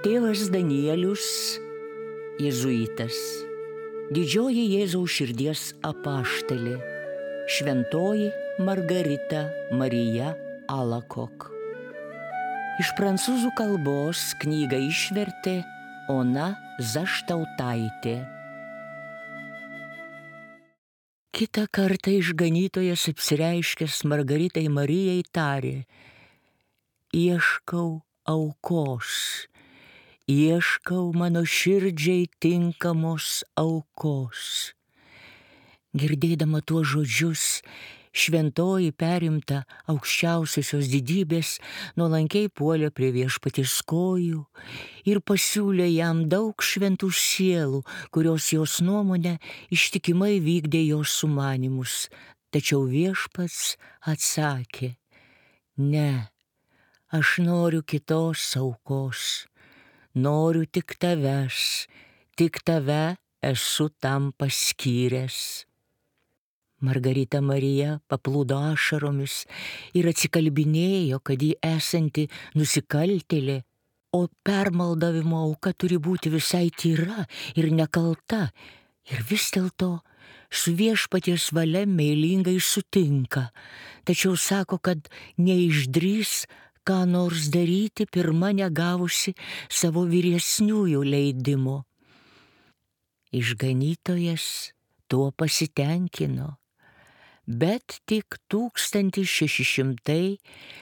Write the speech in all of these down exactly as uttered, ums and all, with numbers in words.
Tėvas Danielius, jėzuitas, didžioji Jėzaus širdies apaštalė, šventoji Margarita Marija Alacoque. Iš prancūzų kalbos knygą išvertė Ona Zaštautaitė. Kitą kartą išganytojas apsireiškęs Margaritai Marijai tarė: ieškau aukos, ieškau mano širdžiai tinkamos aukos. Girdėdama tuos žodžius, šventoji perimta aukščiausiosios didybės nuolankiai puolė prie viešpaties kojų ir pasiūlė jam daug šventų sielų, kurios jos nuomone ištikimai vykdė jos sumanymus. Tačiau viešpats atsakė: ne, aš noriu kitos aukos, noriu tik tavęs, tik tave esu tam paskyręs. Margarita Marija paplūdo ašaromis ir atsikalbinėjo, kad ji esanti nusikaltėlė, o permaldavimo auka turi būti visai tyra ir nekalta, ir vis dėlto su viešpaties valia meilingai sutinka, tačiau sako, kad neišdrįs ką nors daryti pirma negavusi savo vyresniųjų leidimo. Išganytojas tuo pasitenkino, bet tik tūkstantis šeši šimtai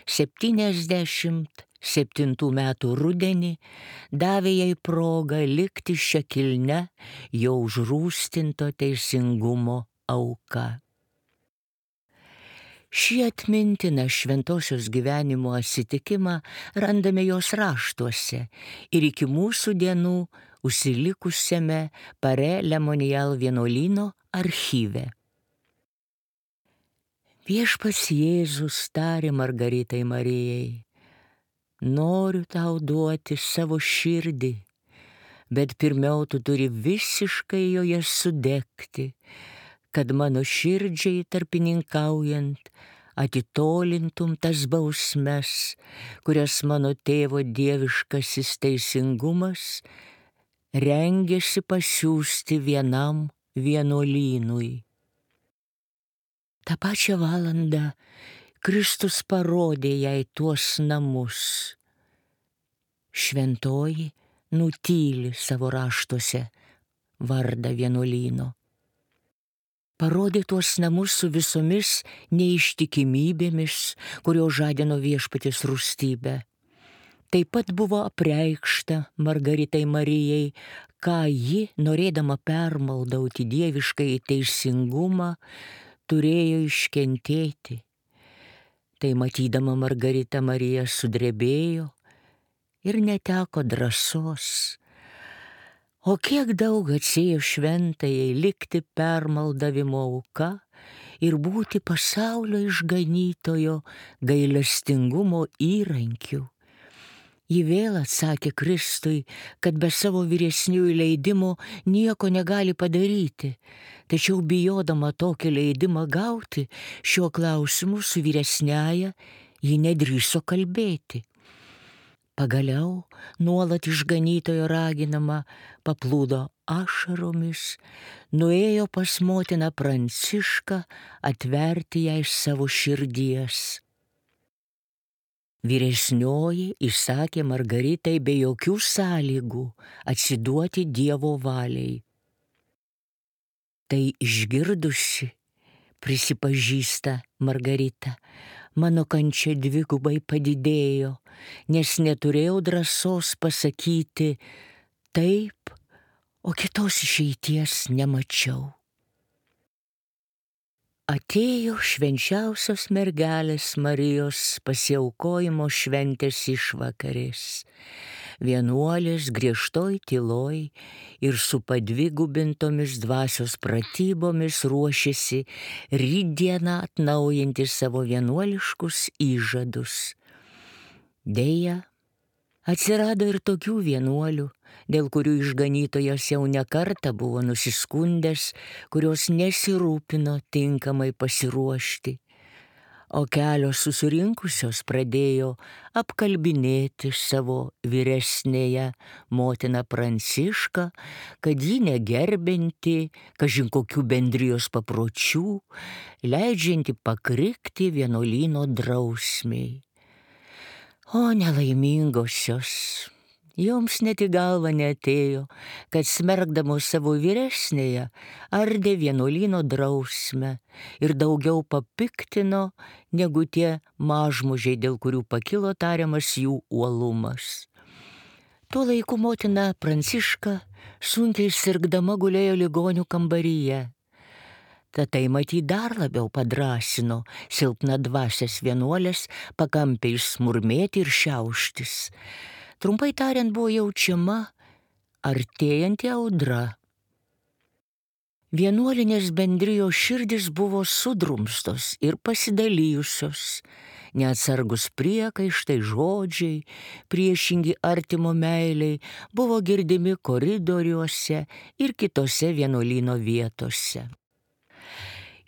septyniasdešimt septintų metų rudenį davė jai progą likti šia kilnia jo užrūstinto teisingumo auka. Šį atmintiną šventosios gyvenimo atsitikimą randame jos raštuose ir iki mūsų dienų užsilikusiame Pare Lemonial vienuolyno archyve. Viešpats Jėzus tarė Margaritai Marijai: noriu tau duoti savo širdį, bet pirmiau tu turi visiškai joje sudegti, kad mano širdžiai tarpininkaujant atitolintum tas bausmes, kurias mano tėvo dieviškasis teisingumas rengėsi pasiųsti vienam vienuolynui. Ta pačią valandą Kristus parodė jai tuos namus. Šventoji nutyli savo raštuose vardą vienuolyno. Parodė tuos namus su visomis neištikimybėmis, kurio žadino viešpaties rūstybę. Taip pat buvo apreikšta Margaritai Marijai, ką ji, norėdama permaldauti dieviškai teisingumą, turėjo iškentėti. Tai matydama Margarita Marija sudrebėjo ir neteko drąsos. O kiek daug atsėjo šventajai likti permaldavimo auka ir būti pasaulio išganytojo gailestingumo įrankiu. Ji vėl atsakė Kristui, kad be savo vyresniųjų leidimo nieko negali padaryti, tačiau bijodama tokį leidimą gauti, šiuo klausimu su vyresniaja ji nedrįso kalbėti. Pagaliau, nuolat išganytojo raginama, paplūdo ašaromis, nuėjo pas motiną Prancišką atverti jai savo širdies. Vyresnioji įsakė Margaritai be jokių sąlygų atsiduoti Dievo valiai. Tai išgirdusi, prisipažįsta Margarita, mano kančia dvigubai padidėjo, nes neturėjau drąsos pasakyti taip, o kitos išeities nemačiau. Atėjo švenčiausios mergelės Marijos pasiaukojimo šventės išvakarės. Vienuolės griežtoj tyloj ir su padvigubintomis dvasios pratybomis ruošėsi rytdieną atnaujinti savo vienuoliškus įžadus. Deja, atsirado ir tokių vienuolių, dėl kurių išganytojas jau ne kartą buvo nusiskundęs, kurios nesirūpino tinkamai pasiruošti. o kelios susirinkusios pradėjo apkalbinėti savo vyresnėją motiną Prancišką, kad ji negerbinti kažin kokių bendrijos papročių, leidžianti pakrikti vienuolyno drausmiai. O nelaimingosios, joms net į galvą neatėjo, kad smerkdamos savo vyresnėją ardė vienuolyno drausmę ir daugiau papiktino negu tie mažmužiai, dėl kurių pakilo tariamas jų uolumas. Tuo laiku motina Pranciška sunkiai sirgdama gulėjo ligonių kambaryje. Tad tai matyt dar labiau padrasino silpnadvasias vienuolės pakampiai smurmėti ir šiauštis. Trumpai tariant, buvo jaučiama artėjanti audra. Vienuolinės bendrijos širdis buvo sudrumstos ir pasidalijusios. Neatsargus priekaištai, žodžiai, priešingi artimo meiliai buvo girdimi koridoriuose ir kitose vienuolyno vietose.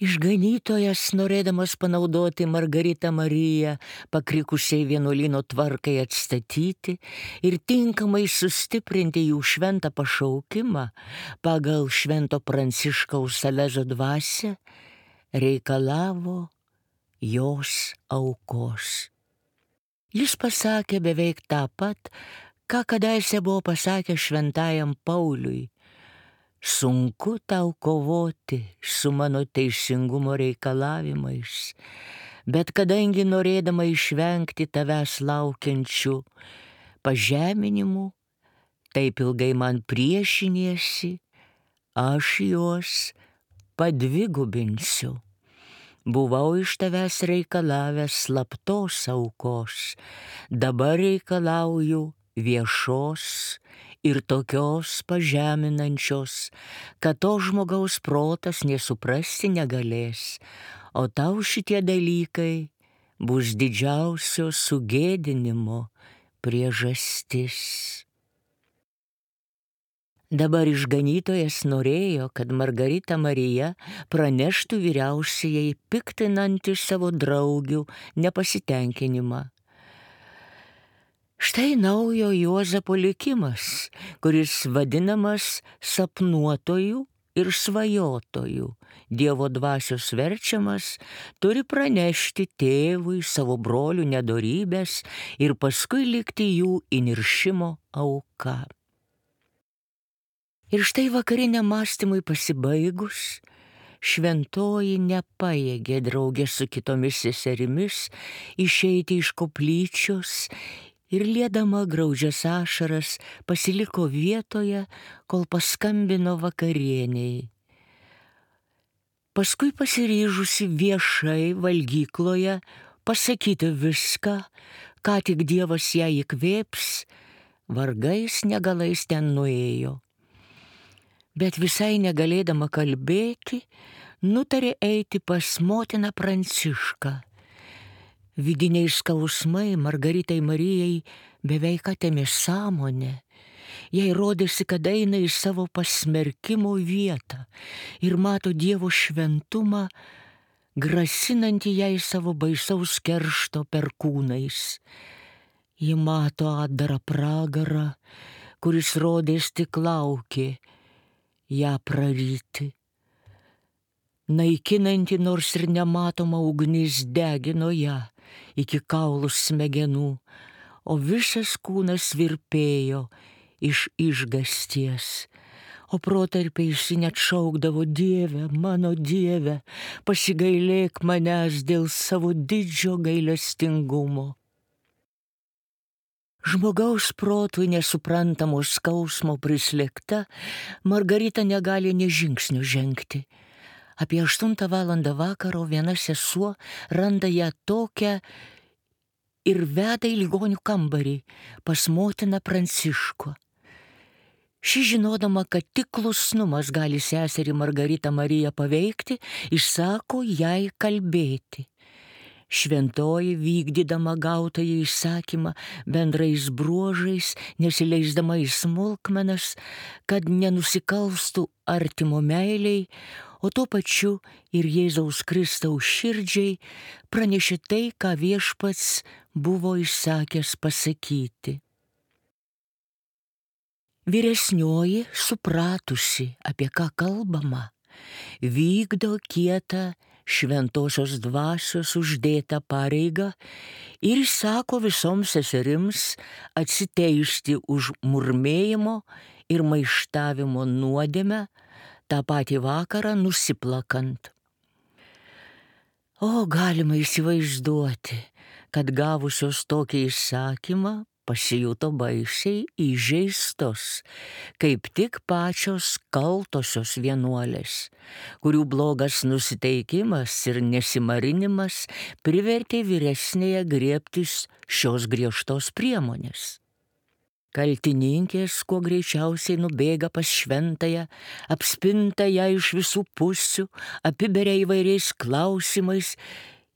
Išganytojas, norėdamas panaudoti Margaritą Mariją pakrikusiai vienuolyno tvarkai atstatyti ir tinkamai sustiprinti jų šventą pašaukimą pagal švento Pranciškaus Salezo dvasią, reikalavo jos aukos. Jis pasakė beveik tą pat, ką kadaise buvo pasakęs šventajam Pauliui: sunku tau kovoti su mano teisingumo reikalavimais, bet kadangi norėdama išvengti tavęs laukiančių pažeminimų, taip ilgai man priešiniesi, aš juos padvigubinsiu. Buvau iš tavęs reikalavęs slaptos aukos, dabar reikalauju viešos ir tokios pažeminančios, kad to žmogaus protas nesuprasti negalės, o tau šitie dalykai bus didžiausio sugėdinimo priežastis. Dabar išganytojas norėjo, kad Margarita Marija praneštų vyriausiajai piktinantį savo draugių nepasitenkinimą. Štai naujo Juozapo likimas, kuris vadinamas sapnuotojų ir svajotojų. Dievo dvasios verčiamas turi pranešti tėvui savo brolių nedorybės ir paskui likti jų įniršimo auka. Ir štai vakariniam mąstymui pasibaigus, šventoji nepajėgė draugė su kitomis seserimis išeiti iš koplyčios ir liedama graudžias ašaras pasiliko vietoje, kol paskambino vakarieniai. Paskui pasiryžusi viešai valgykloje pasakyti viską, ką tik Dievas ją įkvėps, vargais negalais ten nuėjo. Bet visai negalėdama kalbėti, nutarė eiti pas motiną Prancišką. Vidiniai skausmai Margaritai Marijai beveik atėmė sąmonę. Jai rodėsi, kad eina į savo pasmerkimo vietą ir mato Dievo šventumą, grasinantį jai savo baisaus keršto perkūnais. Ji mato atdarą pragarą, kuris rodės tik laukė ją praryti. Naikinanti nors ir nematoma ugnis degino ją iki kaulų smegenų, o visas kūnas virpėjo iš išgasties, o protarpiais ji net šaukdavo: Dieve, mano Dieve, pasigailėk manęs dėl savo didžio gailestingumo. Žmogaus protui nesuprantamo skausmo prislėgta, Margarita negali nė žingsnio žengti. Apie aštuntą valandą vakaro viena sesuo randa ją tokią ir veda į ligonių kambarį pas motiną Pranciškų. Ši, žinodama, kad tik klusnumas gali seserį Margaritą Mariją paveikti, išsako jai kalbėti. Šventoji, vykdydama gautąjį įsakymą bendrais bruožais, nesileisdama į smulkmenas, kad nenusikalstų artimo meiliai, o tuo pačiu ir Jėzaus Kristaus širdžiai pranešė tai, ką viešpats buvo įsakęs pasakyti. Vyresnioji, supratusi, apie ką kalbama, vykdo kietą šventosios dvasios uždėtą pareigą ir įsako visoms seserims atsiteisti už murmėjimo ir maištavimo nuodėmę, tą patį vakarą nusiplakant. O galima įsivaizduoti, kad gavusios tokį įsakymą pasijuto baisiai įžeistos, kaip tik pačios kaltosios vienuolės, kurių blogas nusiteikimas ir nesimarinimas privertė vyresnėje griebtis šios griežtos priemonės. Kaltininkės kuo greičiausiai nubėga pas šventąją, apspinta ją iš visų pusių, apiberia įvairiais klausimais,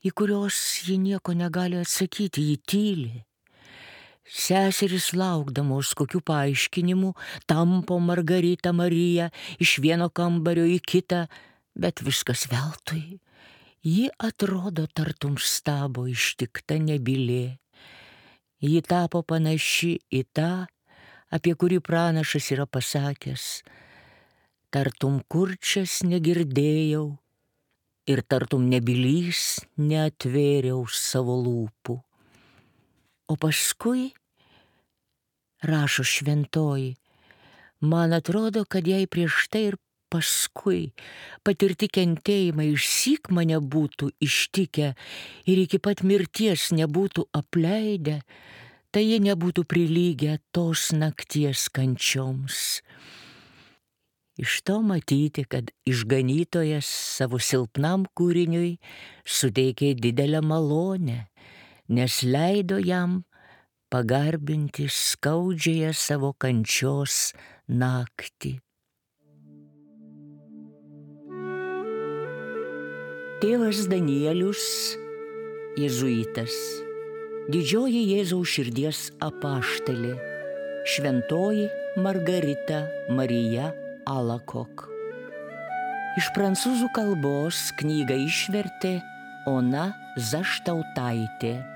į kuriuos ji nieko negali atsakyti, ji tyli. Seserys laukdamos kokių paaiškinimų tampo Margaritą Mariją iš vieno kambario į kitą, bet viskas veltui. Ji atrodo tartum stabo ištikta nebylė. Ji tapo panaši į tą, apie kurį pranašas yra pasakęs: tartum kurčias negirdėjau ir tartum nebylys neatvėriau savo lūpų. O paskui, rašo šventoji, man atrodo, kad jei prieš tai ir paskui patirti kentėjimai išsyk mane būtų ištikę ir iki pat mirties nebūtų apleidę, tai jie nebūtų prilygę tos nakties kančioms. Iš to matyti, kad išganytojas savo silpnam kūriniui suteikė didelę malonę, nes leido jam pagarbinti skaudžiąją savo kančios naktį. Tėvas Danielius, jėzuitas, didžioji Jėzaus širdies apaštalė, šventoji Margarita Marija Alacoque. Iš prancūzų kalbos knygą išvertė Ona Zaštautaitė.